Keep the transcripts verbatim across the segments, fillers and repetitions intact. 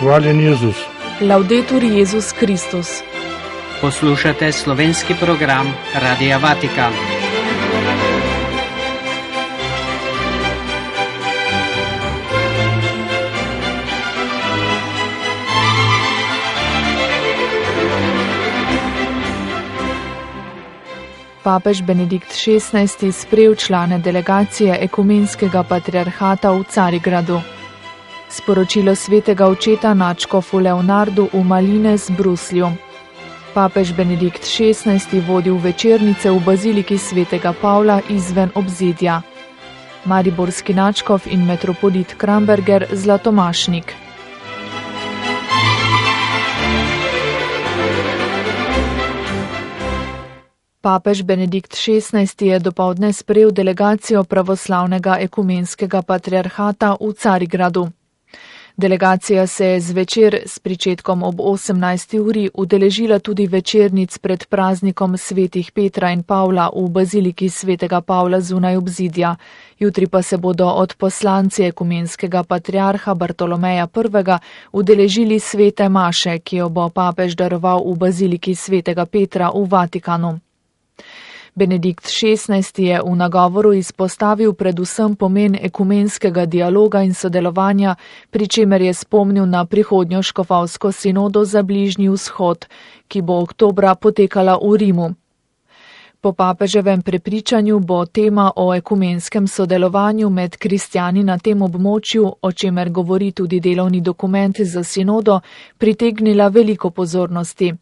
Hvaljen Jezus. Laudetur Jezus Kristus. Poslušate slovenski program Radia Vatikan. Papež Benedikt šestnajsti sprejel člane delegacije ekumenskega patriarhata v Carigradu. Sporočilo svetega očeta nadškofu Leonardu v Malines Bruslju. Papež Benedikt šestnajsti vodil večernice v baziliki svetega Pavla izven obzidja. Mariborski nadškof in metropolit Kramberger Zlatomašnik. Papež Benedikt šestnajsti je dopoldne sprejel delegacijo pravoslavnega ekumenskega patriarhata v Carigradu. Delegacija se je zvečer s pričetkom ob osemnajsti uri udeležila tudi večernic pred praznikom svetih Petra in Pavla v baziliki svetega Pavla zunaj obzidja. Jutri pa se bodo odposlanci ekumenskega patriarha Bartolomeja prvega udeležili svete maše, ki jo bo papež daroval v baziliki svetega Petra v Vatikanu. Benedikt šestnajsti je v nagovoru izpostavil predvsem pomen ekumenskega dialoga in sodelovanja, pri čemer je spomnil na prihodnjo škofovsko sinodo za Bližnji vzhod, ki bo oktobra potekala v Rimu. Po papeževem prepričanju bo tema o ekumenskem sodelovanju med kristjani na tem območju, o čemer govori tudi delovni dokument za sinodo, pritegnila veliko pozornosti.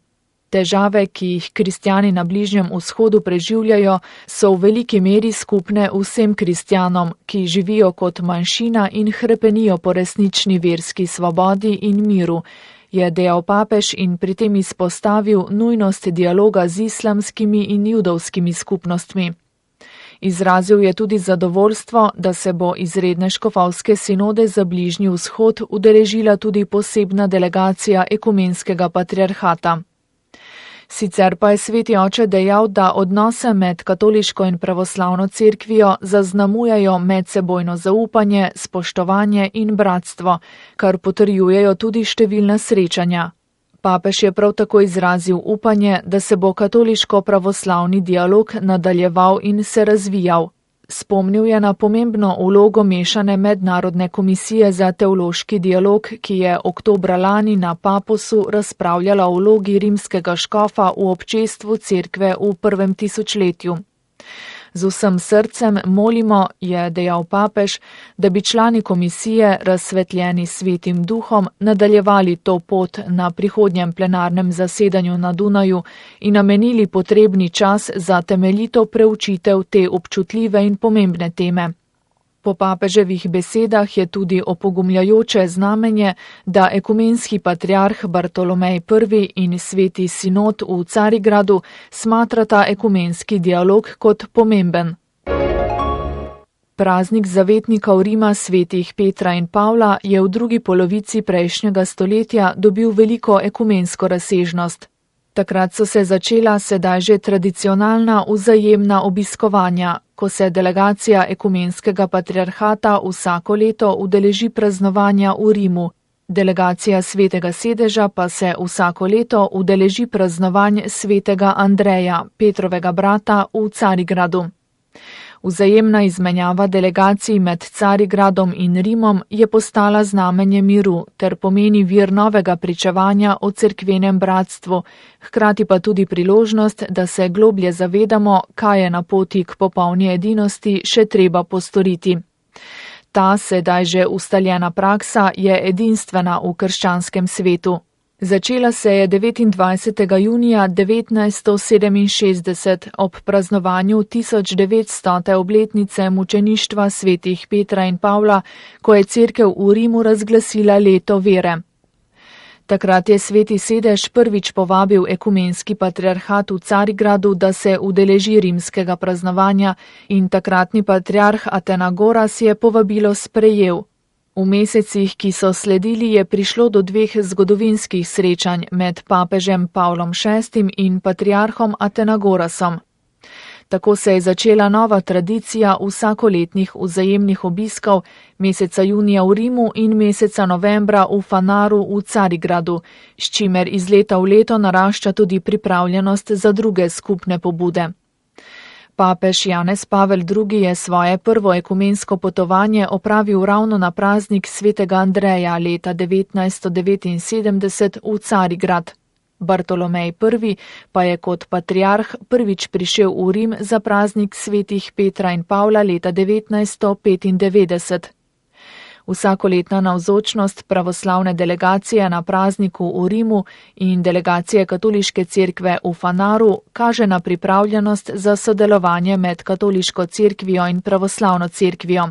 Težave, ki jih kristjani na Bližnjem vzhodu preživljajo, so v veliki meri skupne vsem kristjanom, ki živijo kot manjšina in hrepenijo po resnični verski svobodi in miru, je dejal papež in pri tem izpostavil nujnost dialoga z islamskimi in judovskimi skupnostmi. Izrazil je tudi zadovoljstvo, da se bo izredne škofovske sinode za Bližnji vzhod udeležila tudi posebna delegacija ekumenskega patriarhata. Sicer pa je sveti oče dejal, da odnose med katoliško in pravoslavno cerkvijo zaznamujajo medsebojno zaupanje, spoštovanje in bratstvo, kar potrjujejo tudi številna srečanja. Papež je prav tako izrazil upanje, da se bo katoliško-pravoslavni dialog nadaljeval in se razvijal. Spomnil je na pomembno vlogo mešane mednarodne komisije za teološki dialog, ki je oktobra lani na Paposu razpravljala o vlogi rimskega škofa v občestvu cerkve v prvem tisočletju. Z vsem srcem molimo, je dejal papež, da bi člani komisije, razsvetljeni svetim duhom, nadaljevali to pot na prihodnjem plenarnem zasedanju na Dunaju in namenili potrebni čas za temeljito preučitev te občutljive in pomembne teme. Po papeževih besedah je tudi opogumljajoče znamenje, da ekumenski patriarh Bartolomej prvi in sveti sinod v Carigradu smatrata ekumenski dialog kot pomemben. Praznik zavetnikov Rima svetih Petra in Pavla je v drugi polovici prejšnjega stoletja dobil veliko ekumensko razsežnost. Takrat so se začela sedaj že tradicionalna vzajemna obiskovanja, ko se delegacija ekumenskega patriarhata vsako leto udeleži praznovanja v Rimu. Delegacija svetega sedeža pa se vsako leto udeleži praznovanj svetega Andreja, Petrovega brata, v Carigradu. Vzajemna izmenjava delegacij med Carigradom in Rimom je postala znamenje miru ter pomeni vir novega pričevanja o cerkvenem bratstvu, hkrati pa tudi priložnost, da se globlje zavedamo, kaj je na poti k popolni edinosti še treba postoriti. Ta sedaj že ustaljena praksa je edinstvena v krščanskem svetu. Začela se je devetindvajsetega junija devetnajststo sedeminšestdeset ob praznovanju tisoč devetstote obletnice mučeništva svetih Petra in Pavla, ko je cerkev v Rimu razglasila leto vere. Takrat je sveti sedež prvič povabil ekumenski patriarhat v Carigradu, da se udeleži rimskega praznovanja in takratni patriarh Atenagoras je povabilo sprejel. V mesecih, ki so sledili, je prišlo do dveh zgodovinskih srečanj med papežem Pavlom šestim in patriarhom Atenagorasom. Tako se je začela nova tradicija vsakoletnih vzajemnih obiskov meseca junija v Rimu in meseca novembra v Fanaru v Carigradu, s čimer iz leta v leto narašča tudi pripravljenost za druge skupne pobude. Papež Janez Pavel drugi. Je svoje prvo ekumensko potovanje opravil ravno na praznik svetega Andreja leta devetnajststo devetinsedemdeset v Carigrad. Bartolomej prvi. pa je kot patriarh prvič prišel v Rim za praznik svetih Petra in Pavla leta devetnajststo petindevetdeset. Vsakoletna navzočnost pravoslavne delegacije na prazniku v Rimu in delegacije katoliške cerkve v Fanaru kaže na pripravljenost za sodelovanje med katoliško cerkvijo in pravoslavno cerkvijo.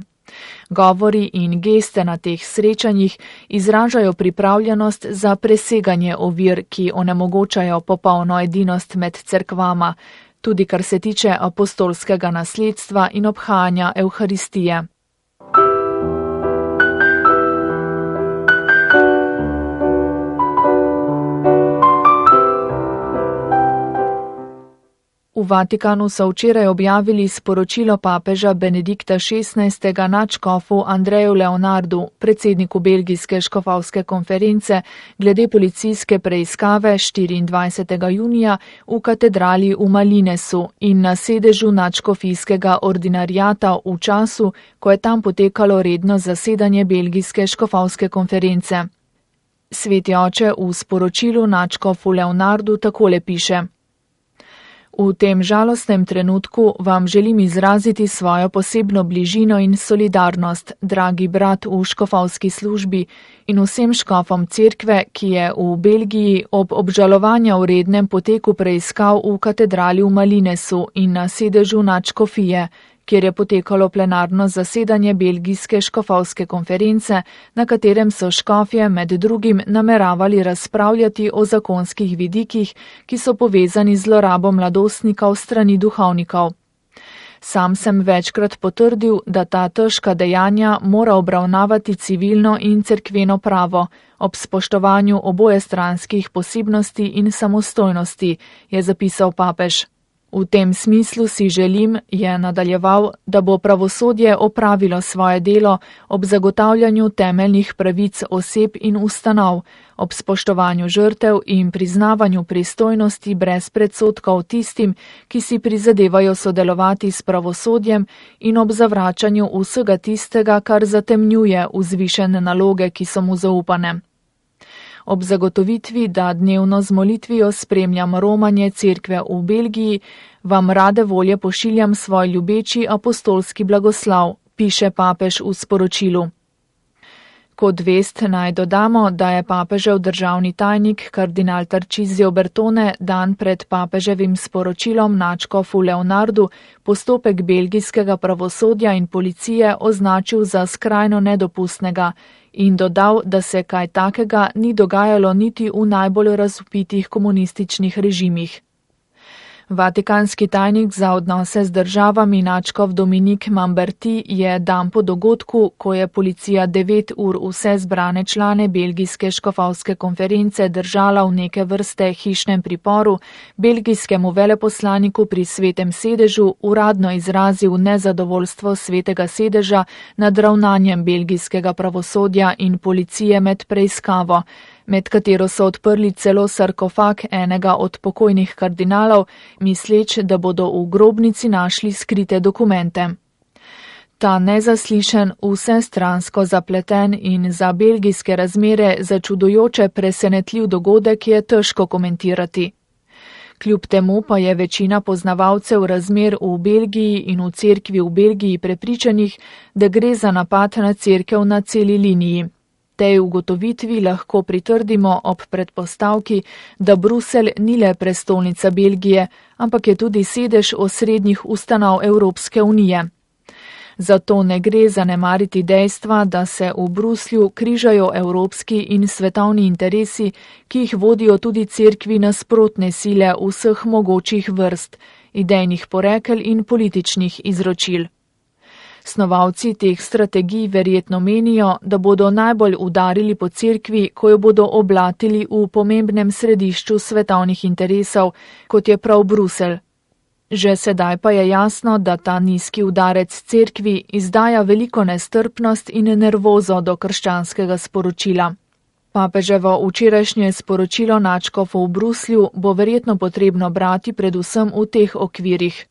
Govori in geste na teh srečanjih izražajo pripravljenost za preseganje ovir, ki onemogočajo popolno edinost med cerkvama, tudi kar se tiče apostolskega nasledstva in obhajanja Evharistije. V Vatikanu so včeraj objavili sporočilo papeža Benedikta šestnajstega nadškofu Andreju Leonardu, predsedniku belgijske škofovske konference, glede policijske preiskave štiriindvajsetega junija v katedrali v Malinesu in na sedežu nadškofijskega ordinariata v času, ko je tam potekalo redno zasedanje belgijske škofovske konference. Sveti oče v sporočilu nadškofu Leonardu takole piše: V tem žalostnem trenutku vam želim izraziti svojo posebno bližino in solidarnost, dragi brat v škofovski službi in vsem škofom cerkve, ki je v Belgiji ob obžalovanja vrednem poteku preiskav v katedrali v Malinesu in na sedežu nadškofije, kjer je potekalo plenarno zasedanje belgijske škofovske konference, na katerem so škofje med drugim nameravali razpravljati o zakonskih vidikih, ki so povezani z zlorabo mladostnikov strani duhovnikov. Sam sem večkrat potrdil, da ta težka dejanja mora obravnavati civilno in cerkveno pravo, ob spoštovanju obojestranskih posebnosti in samostojnosti, je zapisal papež. V tem smislu si želim, je nadaljeval, da bo pravosodje opravilo svoje delo ob zagotavljanju temeljnih pravic oseb in ustanov, ob spoštovanju žrtev in priznavanju pristojnosti brez predsodkov tistim, ki si prizadevajo sodelovati s pravosodjem in ob zavračanju vsega tistega, kar zatemnjuje vzvišene naloge, ki so mu zaupane. Ob zagotovitvi, da dnevno z molitvijo spremljam romanje cerkve v Belgiji, vam rade volje pošiljam svoj ljubeči apostolski blagoslav, piše papež v sporočilu. Kot vest naj dodamo, da je papežev državni tajnik kardinal Tarcisio Bertone dan pred papeževim sporočilom nadškofu Leonardu postopek belgijskega pravosodja in policije označil za skrajno nedopustnega in dodal, da se kaj takega ni dogajalo niti v najbolj razvpitih komunističnih režimih. Vatikanski tajnik za odnose z državami nadškof Dominik Mamberti je dan po dogodku, ko je policija devet ur vse zbrane člane belgijske škofovske konference držala v neke vrste hišnem priporu, belgijskemu veleposlaniku pri svetem sedežu uradno izrazil nezadovoljstvo svetega sedeža nad ravnanjem belgijskega pravosodja in policije med preiskavo, med katero so odprli celo sarkofag enega od pokojnih kardinalov, misleč, da bodo v grobnici našli skrite dokumente. Ta nezaslišen, vsestransko zapleten in za belgijske razmere začudujoče presenetljiv dogodek je težko komentirati. Kljub temu pa je večina poznavalcev razmer v Belgiji in v cerkvi v Belgiji prepričanih, da gre za napad na cerkev na celi liniji. Tej ugotovitvi lahko pritrdimo ob predpostavki, da Bruselj ni le prestolnica Belgije, ampak je tudi sedež osrednjih ustanov Evropske unije. Zato ne gre zanemariti dejstva, da se v Bruslju križajo evropski in svetovni interesi, ki jih vodijo tudi cerkvi nasprotne sile vseh mogočih vrst, idejnih porekel in političnih izročil. Snovalci teh strategij verjetno menijo, da bodo najbolj udarili po cerkvi, ko jo bodo oblatili v pomembnem središču svetovnih interesov, kot je prav Bruselj. Že sedaj pa je jasno, da ta nizki udarec cerkvi izdaja veliko nestrpnost in nervozo do krščanskega sporočila. Papeževo včerajšnje sporočilo nadškofov v Bruslju bo verjetno potrebno brati predvsem v teh okvirih.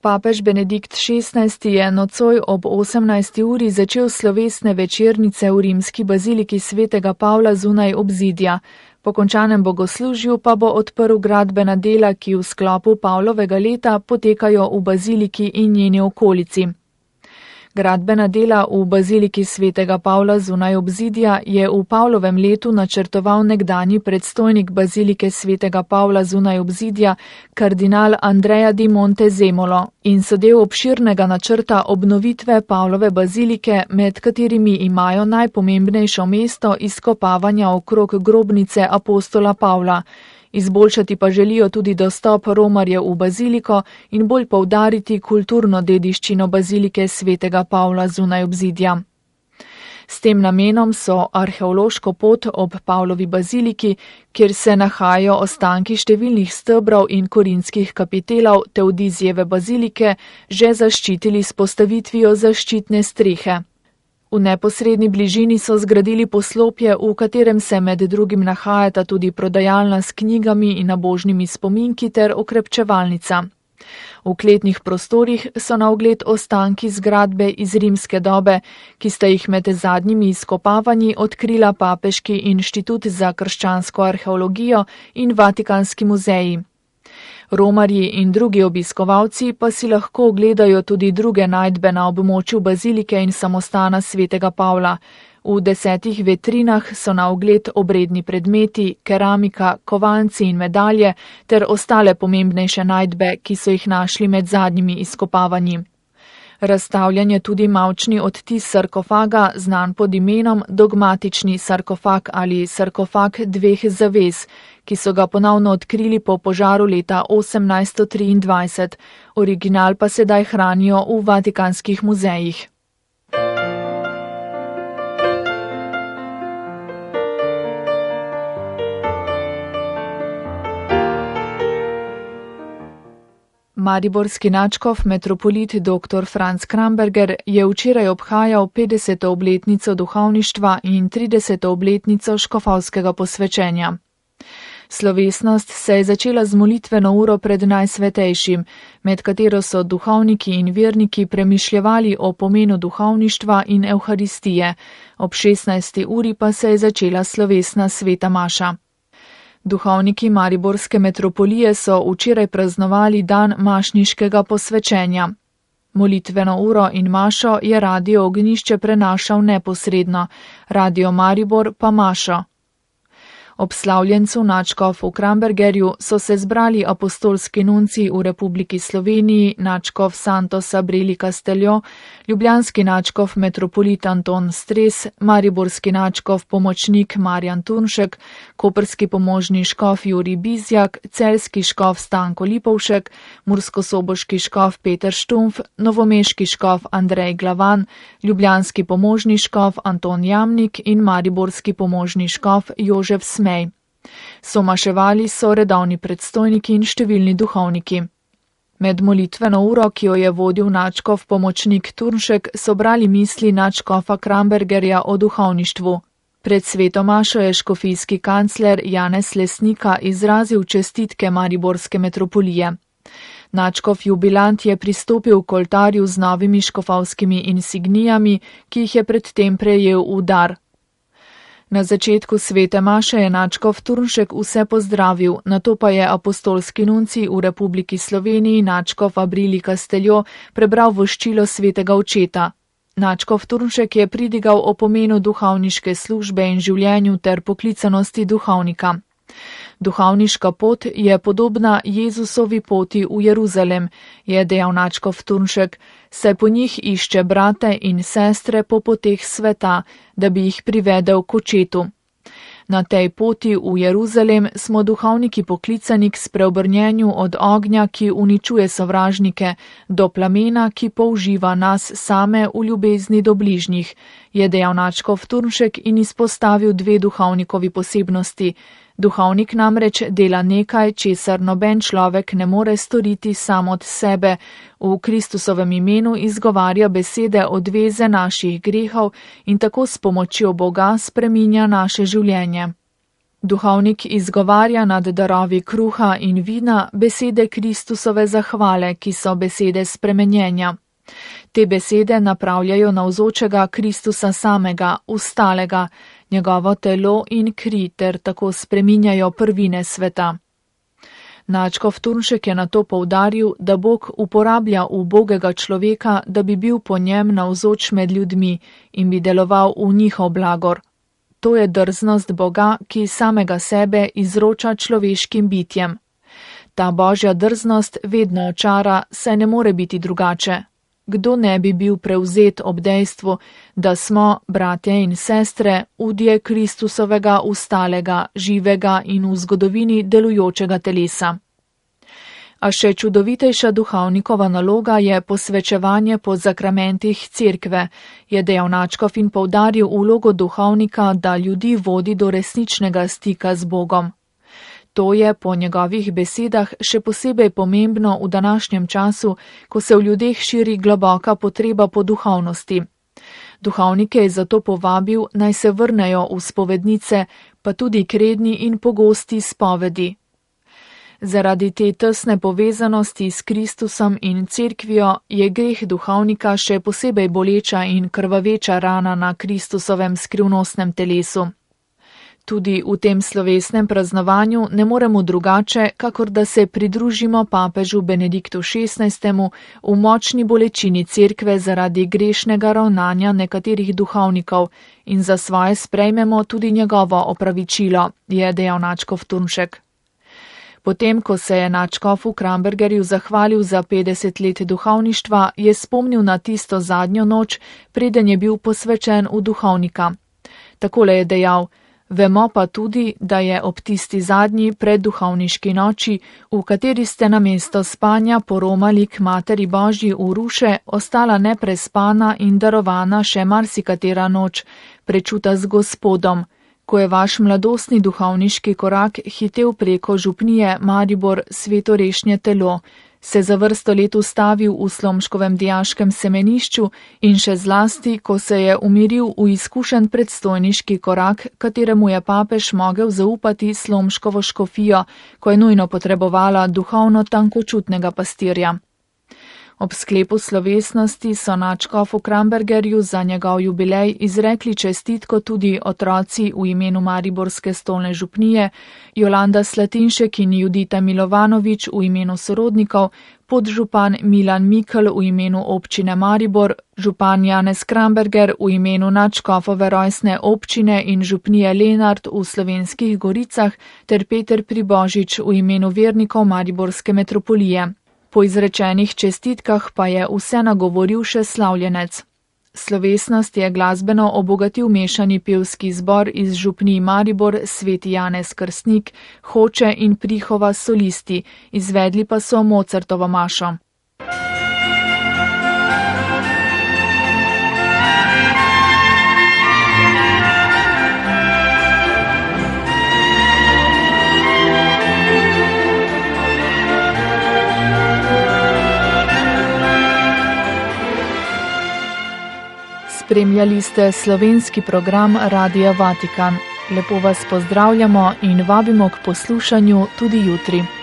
Papež Benedikt šestnajsti je nocoj ob osemnajsti uri začel slovesne večernice v rimski baziliki svetega Pavla zunaj obzidja. Po končanem bogoslužju pa bo odprl gradbena dela, ki v sklopu Pavlovega leta potekajo v baziliki in njeni okolici. Gradbena dela v baziliki svetega Pavla zunaj obzidja je v Pavlovem letu načrtoval nekdanji predstojnik bazilike svetega Pavla zunaj obzidja, kardinal Andrea di Montezemolo, in so del obširnega načrta obnovitve Pavlove bazilike, med katerimi imajo najpomembnejšo mesto izkopavanja okrog grobnice apostola Pavla. Izboljšati pa želijo tudi dostop romarjev v baziliko in bolj poudariti kulturno dediščino bazilike svetega Pavla zunaj obzidja. S tem namenom so arheološko pot ob Pavlovi baziliki, kjer se nahajajo ostanki številnih stebrov in korinskih kapitelov Teodizijeve bazilike, že zaščitili s postavitvijo zaščitne strehe. V neposredni bližini so zgradili poslopje, v katerem se med drugim nahajata tudi prodajalna s knjigami in nabožnimi spominki ter okrepčevalnica. V kletnih prostorih so na ogled ostanki zgradbe iz rimske dobe, ki sta jih med zadnjimi izkopavanji odkrila Papeški inštitut za krščansko arheologijo in Vatikanski muzeji. Romarji in drugi obiskovalci pa si lahko ogledajo tudi druge najdbe na območju bazilike in samostana svetega Pavla. V desetih vetrinah so na ogled obredni predmeti, keramika, kovanci in medalje ter ostale pomembnejše najdbe, ki so jih našli med zadnjimi izkopavanji. Razstavljen je tudi mavčni odtis sarkofaga, znan pod imenom dogmatični sarkofag ali sarkofag dveh zavez, ki so ga ponovno odkrili po požaru leta osemnajststo triindvajset. Original pa sedaj hranijo v vatikanskih muzejih. Mariborski nadškof metropolit dr. Franc Kramberger je včeraj obhajal petdeseto obletnico duhovništva in trideseto obletnico škofovskega posvečenja. Slovesnost se je začela z molitveno uro pred Najsvetejšim, med katero so duhovniki in verniki premišljevali o pomenu duhovništva in evharistije. Ob šestnajsti uri pa se je začela slovesna sveta maša. Duhovniki Mariborske metropolije so včeraj praznovali dan mašniškega posvečenja. Molitveno uro in mašo je Radio Ognjišče prenašal neposredno, Radio Maribor pa mašo. Ob slavljencu nadškofu Krambergerju so se zbrali apostolski nunci v Republiki Sloveniji, nadškof Santos Abreli Casteljo, ljubljanski nadškof metropolit Anton Stres, mariborski nadškof pomočnik Marjan Turnšek, koprski pomožni škof Jurij Bizjak, celjski škof Stanko Lipovšek, murskosoboški škof Peter Štumf, novomeški škof Andrej Glavan, ljubljanski pomožni škof Anton Jamnik in mariborski pomožni škof Jožef Smej. Somaševali so redovni predstojniki in številni duhovniki. Med molitveno uro, ki jo je vodil nadškof pomočnik Turnšek, so brali misli nadškofa Krambergerja o duhovništvu. Pred sveto mašo je škofijski kancler Janez Lesnika izrazil čestitke Mariborske metropolije. Nadškof jubilant je pristopil k oltarju z novimi škofovskimi insignijami, ki jih je predtem prejel v dar. Na začetku svete maše je nadškof Turnšek vse pozdravil, nato pa je apostolski nunci v Republiki Sloveniji nadškof Abreli Casteljo prebral voščilo svetega očeta. Nadškof Turnšek je pridigal o pomenu duhovniške službe in življenju ter poklicanosti duhovnika. Duhovniška pot je podobna Jezusovi poti v Jeruzalem, je dejal nadškof Turnšek, saj po njih išče brate in sestre po poteh sveta, da bi jih privedel k očetu. Na tej poti v Jeruzalem smo duhovniki poklicani k spreobrnjenju od ognja, ki uničuje sovražnike, do plamena, ki použiva nas same v ljubezni do bližnjih, je dejal nadškof Turnšek in izpostavil dve duhovnikovi posebnosti. Duhovnik namreč dela nekaj, česar noben človek ne more storiti sam od sebe. V Kristusovem imenu izgovarja besede odveze naših grehov in tako s pomočjo Boga spreminja naše življenje. Duhovnik izgovarja nad darovi kruha in vina besede Kristusove zahvale, ki so besede spremenjenja. Te besede napravljajo navzočega Kristusa samega, ustalega, njegovo telo in kri ter tako spreminjajo prvine sveta. Nadškof Turnšek je nato poudaril, da Bog uporablja ubogega človeka, da bi bil po njem navzoč med ljudmi in bi deloval v njihov blagor. To je drznost Boga, ki samega sebe izroča človeškim bitjem. Ta božja drznost vedno očara, saj ne more biti drugače. Kdo ne bi bil prevzet ob dejstvu, da smo, bratje in sestre, udje Kristusovega ustalega, živega in v zgodovini delujočega telesa. A še čudovitejša duhovnikova naloga je posvečevanje po zakramentih cerkve, je dejal nadškof in poudaril vlogo duhovnika, da ljudi vodi do resničnega stika z Bogom. To je po njegovih besedah še posebej pomembno v današnjem času, ko se v ljudeh širi globoka potreba po duhovnosti. Duhovnike je zato povabil, naj se vrnejo v spovednice, pa tudi k redni in pogosti spovedi. Zaradi te tesne povezanosti s Kristusom in cerkvijo je greh duhovnika še posebej boleča in krvaveča rana na Kristusovem skrivnostnem telesu. Tudi v tem slovesnem praznovanju ne moremo drugače, kakor da se pridružimo papežu Benediktu šestnajstemu v močni bolečini cerkve zaradi grešnega ravnanja nekaterih duhovnikov in za svoje sprejmemo tudi njegovo opravičilo, je dejal nadškof Turnšek. Potem, ko se je nadškofu Krambergerju zahvalil za petdeset let duhovništva, je spomnil na tisto zadnjo noč, preden je bil posvečen v duhovnika. Takole je dejal: Vemo pa tudi, da je ob tisti zadnji predduhovniški noči, v kateri ste namesto spanja poromali k Materi Božji v ruše, ostala neprespana in darovana še marsikatera noč, prečuta z Gospodom, ko je vaš mladostni duhovniški korak hitel preko župnije Maribor Svetorešnje telo, se za vrsto let ustavil v slomškovem dijaškem semenišču in še zlasti, ko se je umiril v izkušen predstojniški korak, kateremu je papež mogel zaupati slomškovo škofijo, ko je nujno potrebovala duhovno tankočutnega pastirja. Ob sklepu slovesnosti so nadškofu Krambergerju za njegov jubilej izrekli čestitko tudi otroci v imenu Mariborske stolne župnije, Jolanda Slatinšek in Judita Milovanovič v imenu sorodnikov, podžupan Milan Mikl v imenu občine Maribor, župan Janez Kramberger v imenu nadškofove rojstne občine in župnije Lenart v Slovenskih Goricah ter Peter Pribožič v imenu vernikov Mariborske metropolije. Po izrečenih čestitkah pa je vse nagovoril še slavljenec. Slovesnost je glasbeno obogatil mešani pevski zbor iz župnij Maribor, Sveti Janez Krstnik, Hoče in Prihova solisti, izvedli pa so Mozartovo mašo. Spremljali ste slovenski program Radia Vatikan. Lepo vas pozdravljamo in vabimo k poslušanju tudi jutri.